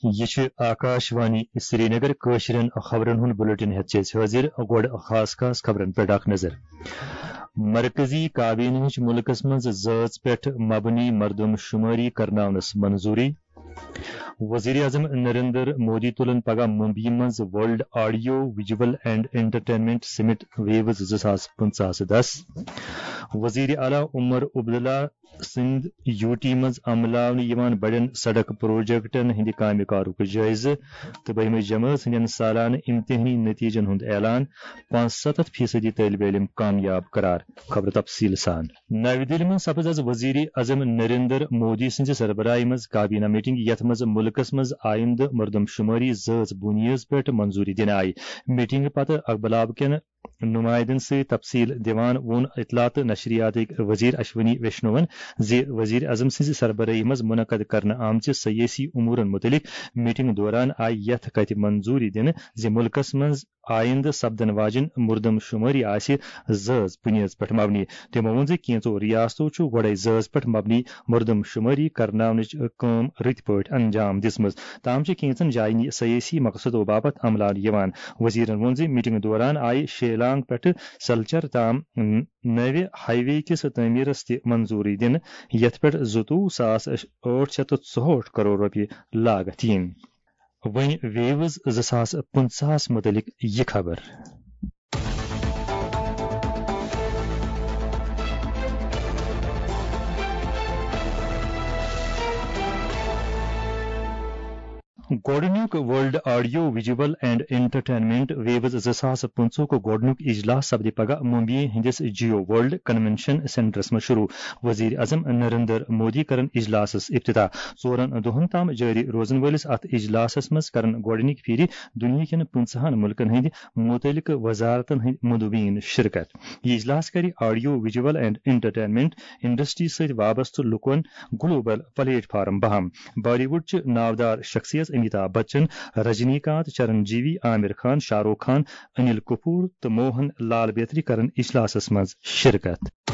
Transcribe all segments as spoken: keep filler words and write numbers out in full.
یہِ چھِ آکاش وانی سرینگر۔ کٲشرٮ۪ن خبرن ہُنٛد بلیٹن ہٮ۪تھ چھِ أسۍ حٲضِر۔ گۄڈٕ خاص خاص خبرن پٮ۪ٹھ اکھ نظر۔ مرکزی کابینہٕچ مُلکس منٛز زٲژ پٮ۪ٹھ مبنی مردم شمٲری کرناونس منظوٗری۔ وزیر اعظم نریندر مودی تُلن پگاہ ممبئی منٛز world audio visual and entertainment summit ویوز زٕ ساس پٕنٛژٕہس دس۔ وزیر اعلیٰ عمر عبداللہ سٕنٛدۍ یوٗ ٹی منٛز عملاونہٕ یِوان بڑٮ۪ن سڑک پروجیکٹن ہٕنٛدِ کامہِ کارُک جٲیزٕ تہٕ بٔہمہِ جمٲژ ہٕنٛدٮ۪ن سالانہٕ امتحٲنی نتیجن ہُنٛد اعلان، پانٛژھ ستتھ فیصدی طٲلبہِ علم کامیاب قرار۔ خبر تفصیل سان۔ نَوِ دِلہِ منٛز سپٕز از وزیر اعظم نریندر مودی سٕنٛزِ سربراہی منٛز کابینہ میٹنگ، یتھ منٛز مُلکس منٛز آیندٕ مردم شمٲری زٲژ بُنیٲدس پٮ۪ٹھ منظوٗری دِنہٕ آیہِ۔ میٹنگ پتہٕ اخبالاب کٮ۪ن نمائندن سۭتۍ تفصیل دِوان ووٚن اطلاعات تہٕ نشریاتٕکۍ وزیر اشونی ویشنوَن زِ وزیر اعظم سٕنٛزِ سربرٲہی منٛز منعقد کرنہٕ آمژِ سیٲسی امورن مُتعلق میٹنگ دوران آیہِ یتھ کتھِ منظوٗری دِنہٕ زِ مُلکس منٛز آیندٕ سپدن واجٮ۪ن مردم شمٲری آسہِ زٲژ بُنیٲدس پٮ۪ٹھ مبنی۔ تِمو ووٚن زِ کینٛژو ریاستو چھُ گۄڈے زٲژ پٮ۪ٹھ مبنی مردم شمٲری کرناونٕچ کٲم رٕتۍ پٲٹھۍ انجام دِژمٕژ۔ تام چھِ کینٛژن جاین یہِ سیٲسی مقصدو باپتھ عملاونہٕ یِوان۔ وزیرن ووٚن زِ میٹنگ دوران آیہِ شیلانگ پٮ۪ٹھٕ سلچر تام نوِ ہائی وے کِس تعمیرس تہِ منظوٗری دِنہٕ، یتھ پٮ۪ٹھ زٕتووُہ ساس ٲٹھ شیٚتھ تہٕ ژُہٲٹھ کرور رۄپیہِ لاگتھ یِن۔ وۄنۍ ویوز زٕ ساس پٕنٛژٕہس مُتعلق یہِ خبر۔ گۄڈٕنیُک world audio visual and entertainment ویوز زٕ ساس پٕنٛژٕہُک گۄڈٕنیُک اجلاس سپدِ پگاہ ممبئی ہٕنٛدِس جیو ورلڈ کنونشن سینٹرس منٛز شروع۔ وزیر اعظم نریندر مودی کرن اجلاسس افتتاح۔ ژورن دۄہن تام جٲری روزن وٲلِس اتھ اجلاسس منٛز کرن گۄڈٕنِکۍ پھِرِ دُنیاہکٮ۪ن پٕنٛژٕہن مُلکن ہٕنٛدۍ متعلقہٕ وزارتن ہٕنٛدۍ مندوبین شرکت۔ یہِ اجلاس کرِ audio visual and entertainment industry سۭتۍ وابستہٕ لوٗکن گلوبل پلیٹ فارم بہم۔ بالی ووڈ چہِ ناودار شخصیت امیتابھ بچن، رجنی کانت، چرن جیوی، عامر خان، شاہ رخ خان، انل کپور تہٕ موہن لال بیترِ کرن اجلاسس منٛز شرکت۔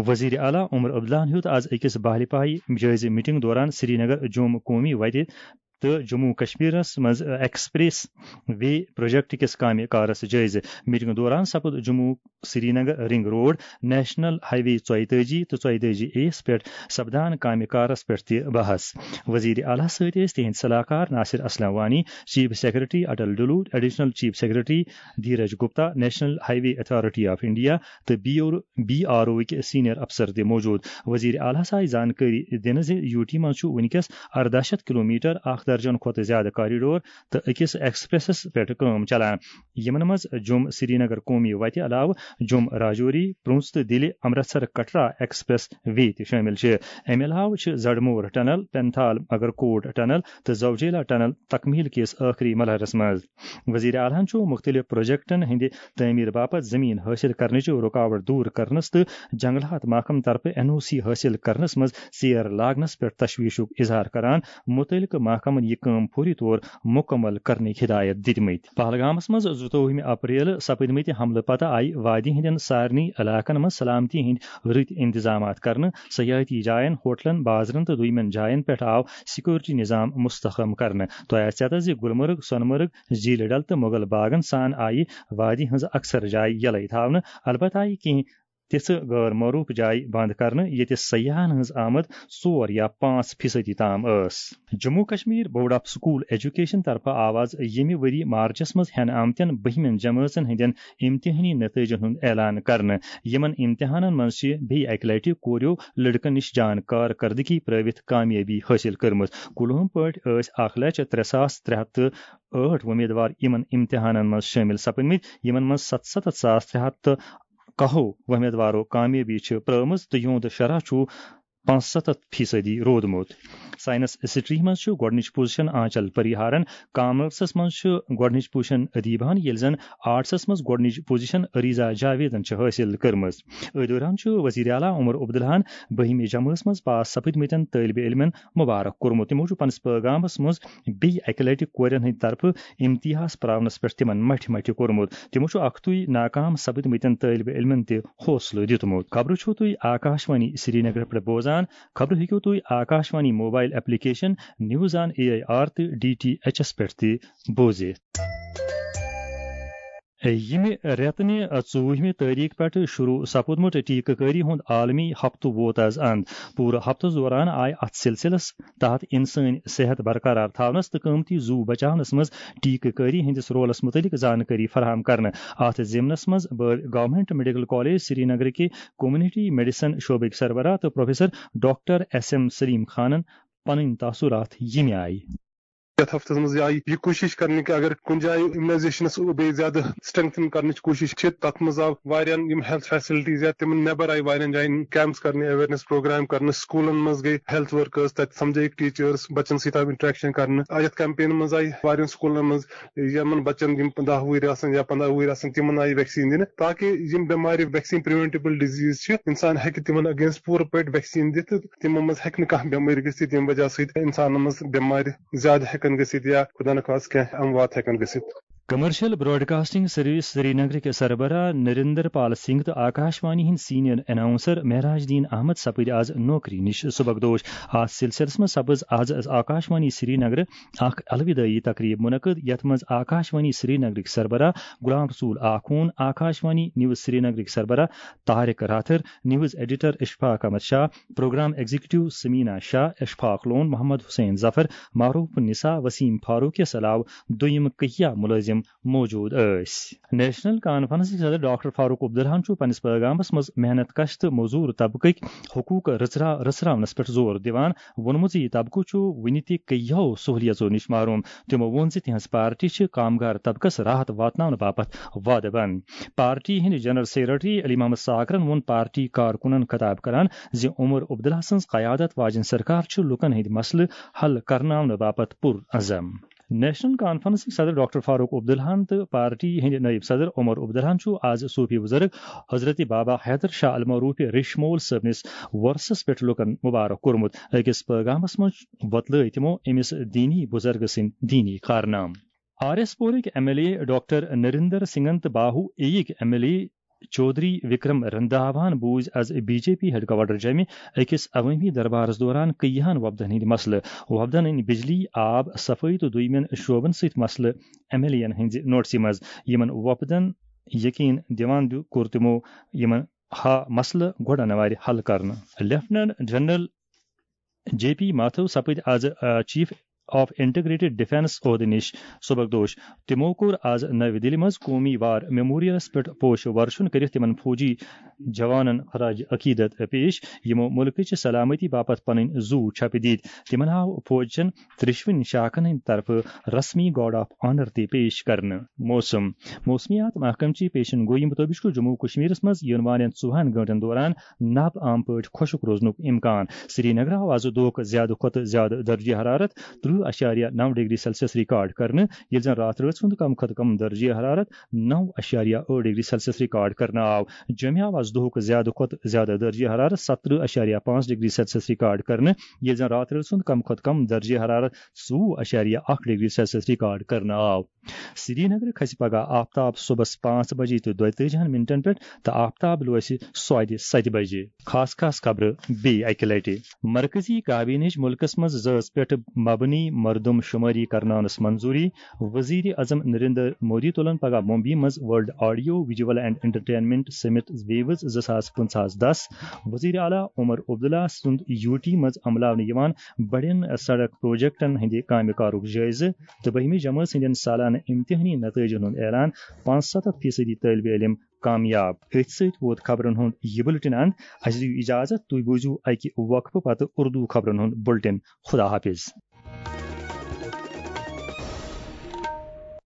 وزیر اعلیٰ عمر عبداللہن ہیوٚت از أکِس باہلہِ پایہِ جٲیزٕ میٹنگ دوران سرینگر جوم قومی وتہِ تہٕ جموں کشمیرس منٛز ایکسپریس وے پروجیکٹ کِس کامہِ کارس جٲیزٕ۔ میٹنگ دوران سپُد Jammu Srinagar ring road, national highway ژۄیتٲجی تہٕ ژۄیتٲجی اے یس پٮ۪ٹھ سپدان کامہِ کارس پٮ۪ٹھ تہِ بحث۔ وزیر اعلیٰ سۭتۍ ٲسۍ تِہنٛدۍ صلاح کار Nasir Aslam Wani, chief secretary Atal Dulloo, additional chief secretary Dheeraj Gupta, national highway authority of India تہٕ بی آر او وٕکۍ سینئر افسر تہِ موجود۔ وزیر اعلیٰ ہَس آیہِ زانکٲری دِنہٕ زِ یوٗ ٹی منٛز چھُ وٕنکیٚس ارداہ شیٚتھ کلومیٹر، اکھ درجن کھۄتہٕ زیادٕ کاریڈور تہٕ أکِس ایکسپریسس پٮ۪ٹھ کٲم چلان، یِمن منٛز جوم سرینگر قومی وتہِ علاوٕ جوم راجوری، پرنس تہٕ دِلہِ امرتسر کٹرا ایکسپریس وے تہِ شٲمِل چھِ۔ اَمہِ علاوٕ چھِ زڈمور ٹنل، پینتھال مگرکوٹ ٹنل تہٕ زوجیلا ٹنل تکمیل کِس ٲخری مرحلس منٛز۔ وزیر اعلیٰ ہَن چھُ مُختٔلِف پروجیکٹن ہٕنٛدِ تعمیٖر باپتھ زٔمیٖن حٲصِل کرنٕچ رُکاوٹ دوٗر کرنس تہٕ جنگلات محکمہٕ طرفہٕ این او سی حٲصِل کرنس منٛز ژیر لاگنس پٮ۪ٹھ تشویشُک اظہار کران مُتعلقہٕ محکمن یہِ کٲم فوری طور مُکمل کرنٕکۍ ہدایت دِتمٕتۍ۔ پہلگامس منٛز زٕتووُہمہِ اپریل سپٕدمٕتۍ حملہٕ پتہٕ آیہِ وادی ہٕنٛدٮ۪ن سارنٕے علاقن منٛز سلامتی ہٕنٛدۍ رٕتۍ انتظامات کرنہٕ، سیاحتی جاین، ہوٹلن، بازرن تہٕ دوٚیمٮ۪ن جاین پٮ۪ٹھ آو سیکورٹی نظام مستحکم کرنہٕ۔ تۄہہِ آسہِ ژےٚ تہٕ زِ گلمرگ، سۄنہٕ مرگ، جھیل ڈل تہٕ مغل باغن سان آیہِ وادی ہٕنٛز اکثر جایہِ یلے تھاونہٕ، البتہ آیہِ کینٛہہ تِژھٕ غٲر معروٗف جایہِ بنٛد کرنہٕ، ییٚتہِ سیاحن ہٕنٛز آمد ژور یا پانٛژھ فیصدی تام ٲس۔ Jammu Kashmir board of school education طرفہٕ آو از ییٚمہِ ؤری مارچس منٛز ہٮ۪نہٕ آمتٮ۪ن بٔہمٮ۪ن جمٲژن ہٕنٛدٮ۪ن امتحٲنی نتٲیجن ہُنٛد اعلان کرنہٕ۔ یِمن امتحانن منٛز چھِ بیٚیہِ اکہِ لٹہِ کوریو لڑکن نِش جان کارکردگی پرٲوِتھ کامیٲبی حٲصِل کٔرمٕژ۔ کُلہُم پٲٹھۍ ٲسۍ اکھ لچھ ترٛےٚ ساس ترٛےٚ ہتھ تہٕ ٲٹھ وۄمیدوار یِمن امتحانن منٛز شٲمِل سپٕدمٕتۍ، یِمن منٛز ستستھ ساس ترٛےٚ ہتھ تہٕ کاہو وۄمیدوارو کامیٲبی چھِ پرٲومٕژ تہٕ یِہُنٛد شرح چھُ پانٛژھ ستتھ فیصدی روٗدمُت۔ ساینس سٹریمہِ منٛز چھُ گۄڈٕنِچ پوزیشن آنچل پریہارن، کامرسس منٛز چھُ گۄڈٕنِچ پوزیشن ادیبہن، ییٚلہِ زن آرٹسس منٛز گۄڈٕنِچ پوزیشن ریزا جاویدن چھِ حٲصِل کٔرمٕژ۔ أتھۍ دوران چھُ وزیر اعلیٰ عمر عبداللہن بٔہمہِ جمٲژ منٛز پاس سپٕدمٕتٮ۪ن طٲلبہِ علمن مبارک کوٚرمُت۔ تِمو چھُ پننِس پٲغامس منٛز بیٚیہِ اکہِ لٹہِ کورٮ۪ن ہٕنٛدِ طرفہٕ امتحاس پراونس پٮ۪ٹھ تِمن مٹھِ مٹھِ کوٚرمُت۔ تِمو چھُ اکھتُے ناکام سپٕدمٕتٮ۪ن طٲلبہِ علمن تہِ حوصلہٕ دیُتمُت۔ خبرٕ چھِو تُہۍ آکاشوانی سرینگر پٮ۪ٹھ بوزان۔ خبرٕ ہیٚکِو تُہۍ Akashvani mobile application, news on A I R تہٕ ڈی ٹی ایچ ایس پٮ۪ٹھ تہِ بوٗزِتھ۔ ییٚمہِ رٮ۪تہٕ نہِ ژوٗرمہِ تٲریخ پٮ۪ٹھ شروع سپُدمُت ٹیکہٕ کٲری ہُنٛد عالمی ہفتہٕ ووت از اند۔ پوٗرٕ ہفتس دوران آیہِ اتھ سلسلس تحت انسٲنی صحت برقرار تھاونس تہٕ قۭمتی زُو بچاونس منٛز ٹیکہٕ کٲری ہٕنٛدِس رولس مُتعلق زانکٲری فراہم کرنہٕ۔ اتھ ضمنس منٛز بٲوۍ گورنمنٹ میڈیکل کالج سرینگرٕکہِ کمیونٹی میڈیسن شعبٕکۍ سربراہ تہٕ professor doctor S M Saleem خانن پنٕنۍ تاثرات ییٚمہِ آیہِ۔ یتھ ہفتس منٛز آیہِ یہِ کوٗشش کرنہٕ کہِ اگر کُنہِ جایہِ امیونائزیشنس بیٚیہِ زیادٕ اسٹرینگتھن کرنٕچ کوٗشش چھِ، تتھ منٛز آو واریاہن یِم ہیلتھ فیسلٹیز یا تِمن نٮ۪بر آیہِ واریاہن جاین کیمپس کرنہٕ، اویئرنیس پروگرام کرنہٕ، سکوٗلن منٛز گٔے ہیلتھ ورکرز، تتہِ سمجھٲیِکھ ٹیچرز، بچن سۭتۍ آو انٹریکشن کرنہٕ۔ آ، یتھ کیمپین منٛز آیہِ واریاہن سکوٗلن منٛز یِمن بچن یِم دَہ وُہٕرۍ آسن یا پنٛداہ وُہٕرۍ آسن، تِمن آیہِ ویکسیٖن دِنہٕ، تاکہِ یِم بٮ۪مارِ، ویکسیٖن پریونٹیبل ڈیزیز چھِ، انسان ہیٚکہِ تِمن اگینسٹ پوٗرٕ پٲٹھۍ ویکسیٖن دِتھ تہٕ تِمو منٛز ہیٚکہِ نہٕ کانٛہہ بٮ۪مٲرۍ گٔژھِتھ، ییٚمہِ وجہ سۭتۍ انسانن منٛز بٮ۪مارِ زیادٕ ہیٚکن گٔژھِتھ یا خدا نخواستہٕ کینٛہہ اموات ہیٚکن گٔژھِتھ۔ کمرشل براڈکاسٹنگ سروس سرینگرٕکۍ سربراہ نریندر پال سنگھ تہٕ آکاشوانی ہٕنٛدۍ سینئر اناؤنسر معراج الدین احمد سپٕدۍ آز نوکری نِش سبکدوش۔ اتھ سلسلس منٛز سپٕز آز آکاشوانی سرینگرٕ اکھ الودٲعی تقریب منعقد، یتھ منٛز آکاشوانی سرینگرٕکۍ سربراہ غلام رسول آخون، آکاشوانی نیوز سرینگرٕکۍ سربراہ Tariq Rather, news editor Ashfaq Ahmad Shah, programme executive Samina Shah, Ashfaq Lone, Mohammad Hussain Zafar, Maroof Unnisa, Wasim Farooq یس علاوٕ دوٚیِم کہیا ملٲزم موجود ٲسۍ۔ نیشنل کانفرنسٕکۍ صدر ڈاکٹر فاروق عبداللہن چھُ پننِس پٲغامس منٛز محنت کش تہٕ موزوٗر طبقٕکۍ حقوق رژھرا-، رژھراونس پٮ۪ٹھ زور دِوان۔ ووٚنمُت زِ یہِ طبقہٕ چھُ وُنہِ تہِ کیٚہو سہولیژو نِش محروم۔ تِمو ووٚن زِ تِہنٛز پارٹی چھِ کامگار طبقس راحت واتناونہٕ باپتھ وعدٕ بنٛد۔ پارٹی ہٕنٛدۍ جنرل سیکرٹری علی محمد ساکرن ووٚن پارٹی کارکُنن خطاب کران زِ عمر عبداللہ سٕنٛز قیادت واجٮ۪ن سرکار چھُ لوٗکن ہٕنٛدۍ مسلہٕ حل کرناونہٕ باپتھ پُر عزم۔ نیشنل کانفرنسٕکۍ صدر ڈاکٹر فاروق عبداللہن تہٕ پارٹی ہٕنٛدۍ نٲیِب صدر عمر عبداللہن چھُ آز صوفی بزرگ حضرت بابا حیدر شاہ المعروف ریشمول صٲبنِس وۄرثس پٮ۪ٹھ لوٗکن مبارک کوٚرمُت۔ أکِس پٲغامس منٛز وۄتلٲوۍ تِمو أمِس دیٖنی بُزرگہٕ سٕنٛدۍ دیٖنی کارنامہٕ۔ آر ایس پورٕکۍ M L A doctor Narendra سنگھن تہٕ باہو اے یِکۍ M L A Chaudhary Vikram رندھاواہن بوٗزۍ از B J P headquarters جیمہِ أکِس عوٲمی دربارس دوران کٔیِہن وۄپدن ہٕنٛدۍ مسلہٕ۔ وۄپدن أنۍ بجلی، آب، صفٲیی تہٕ دوٚیمٮ۪ن شعبن سۭتۍ مسلہٕ ایم ایل اے یَن ہٕنٛزِ نوٹسہِ منٛز۔ یِمن وۄپدن یقین دِوان دِ-، کوٚر تِمو یِمن ہا مسلہٕ گۄڈٕ انوارِ حل کرنہٕ۔ لیفٹیننٹ جنرل جے پی ماتھو سپٕدۍ از، آ، چیف آف انٹیگریٹڈ ڈیفنس عہدٕ نِش سبکدوش۔ تِمو کوٚر از نَوِ دِلہِ منٛز قومی وار میموریلس پٮ۪ٹھ پوش ورشُن کٔرِتھ تِمن فوجی جوانن خراج عقیدت پیش، یِمو مُلکٕچہِ سلامتی باپتھ پنٕنۍ زُو چھپہٕ دِتۍ۔ تِمن آو فوجچٮ۪ن ترٛیٚشوٕنی شاخن ہٕنٛدِ طرفہٕ رسمی گارڈ آف آنر تہِ پیش کرنہٕ۔ موسم۔ موسمیات محکمہٕ چہِ پیشن گویی مُطٲبِق چھُ جموں و کشمیرس منٛز یِنہٕ والٮ۪ن ژوٚوُہن گٲنٛٹن دوران نب عام پٲٹھۍ خۄشک روزنُک امکان۔ سرینگرٕ آو آز دۄہُک زیادٕ کھۄتہٕ زیادٕ درجہ حرارت ترٕٛہ اعشاریہ نَو ڈگری سیلسیس ریکارڈ کرنہٕ، ییٚلہِ زن راتھ رٲژ ہُنٛد کم کھۄتہٕ کم درجہ حرارت نَو اعشاریہ ٲٹھ ڈگری سیلسیس ریکارڈ کرنہٕ آو۔ جوٚمہِ آو آز دۄہُک زیادٕ کھۄتہٕ زیادٕ درجہ حرارت ستترٕٛہ اعشاریہ پانٛژھ ڈگری سیلسیس ریکارڈ کرنہٕ، ییٚلہِ زن راتھ رٲژ ہُنٛد کم کھۄتہٕ کم درجہ حرارت ژوٚوُہ اعشاریہ اکھ ڈگری سیلسیس ریکارڈ کرنہٕ آو۔ سرینگرٕ کھسہِ پگہہ آفتاب صبحس پانٛژھ بجے تہٕ دۄیتٲجِہن منٹن پٮ۪ٹھ تہٕ آفتاب لوسہِ سوادِ ستہِ بجے۔ خاص خاص خبرٕ بیٚیہِ اکہِ لٹہِ۔ مرکزی کابینہٕچ مُلکس منٛز زٲژ پٮ۪ٹھ مبنی مردم شمٲری کرناونس منظوری۔ وزیر اعظم نریندر مودی تُلن پگہہ ممبئی منٛز world audio visual and entertainment summit ویوز زٕ ساس پنٛژاہس دس۔ وزیر اعلیٰ عمر عبداللہ سُنٛد یوٗ ٹی منٛز عملاونہٕ یِوان بڑٮ۪ن سڑک پروجیکٹن ہٕنٛدِ کامہِ کارُک جٲیزٕ تہٕ بٔہمہِ جمٲژ ہٕنٛدٮ۪ن سالانہٕ امتحٲنی نتٲیجن ہُنٛد اعلان۔ پانٛژھ ستتھ فیصدی طٲلبہِ علم کامیاب۔ أتھۍ سۭتۍ ووت خبرن ہُنٛد یہِ بُلٹن اند۔ اسہِ دِیِو اجازت، تُہۍ بوٗزِو اکہِ وقفہٕ پتہٕ اردو خبرن ہُنٛد بُلٹن۔ خدا حافظ۔